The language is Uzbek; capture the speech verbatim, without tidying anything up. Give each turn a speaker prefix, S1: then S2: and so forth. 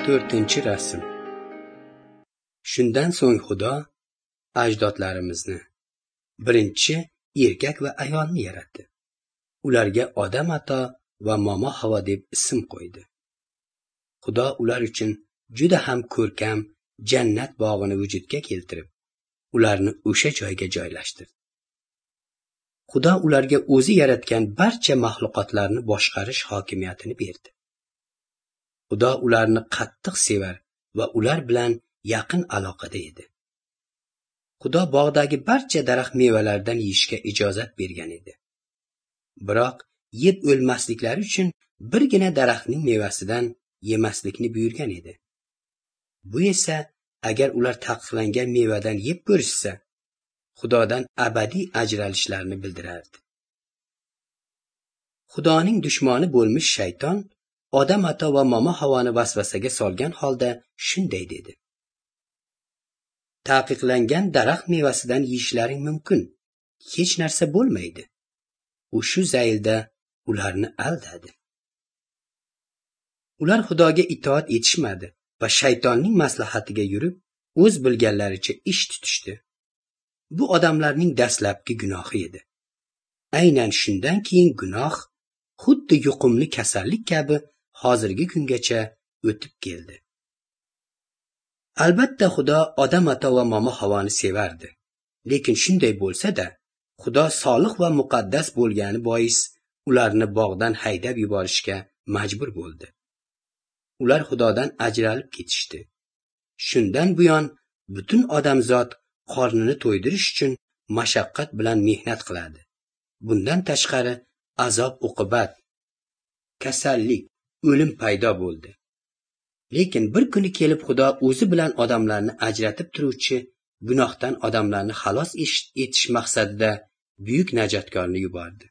S1: To'rtinchi rasm. Shundan so'ng Xudo ajdodlarimizni, birinchi erkak va ayolni yaratdi. Ularga Odam ato va Momo Havo deb ism qo'ydi. Xudo ular uchun juda ham ko'rkam jannat bog'ini vujudga keltirib, ularni o'sha joyga joylashtirdi. Xudo ularga o'zi yaratgan barcha maxluqotlarni boshqarish hokimiyatini berdi. Xudo ularni qattiq sevar va ular bilan yaqin aloqada edi. Xudo bog'dagi barcha daraxt mevalaridan yeyishga ijozat bergan edi. Biroq yeb o'lmasliklari uchun birgina daraxtning mevasidan yemaslikni buyurgan edi. Bu esa agar ular taqiqlangan mevadan yeb ko'rishsa, Xudodan abadiy ajralishlarini bildirardi. Xudoning dushmani bo'lmish shayton Odam ato va Momo Havoni vasvasaga solgan holda shunday dedi: Taqiqlangan daraxt mevasidan yeyishlaring mumkin, hech narsa bo'lmaydi. U shu zaylda ularni aldadi. Ular Xudoga itoat etishmadi va shaytonning maslahatiga yurib, o'z bilganlaricha ish tutishdi. Bu odamlarning dastlabki gunohi edi. Aynan shundan keyin gunoh xuddi yuqumli kasallik kabi hozirgi kungacha o'tib keldi. Albatta Xudo Odam ato va Momo Havoni sevardi. Lekin shunday bo'lsa-da, Xudo solih va muqaddas bo'lgani bois ularni bog'dan haydab yuborishga majbur bo'ldi. Ular Xudodan ajralib ketishdi. Shundan buyon butun odamzod qornini to'ydirish uchun mashaqqat bilan mehnat qiladi. Bundan tashqari azob uqubat, kasallik, o'lim paydo bo'ldi. Lekin bir kuni kelib Xudo o'zi bilan odamlarni ajratib turuvchi gunohdan odamlarni xalos etish maqsadida buyuk najotkorni yubordi.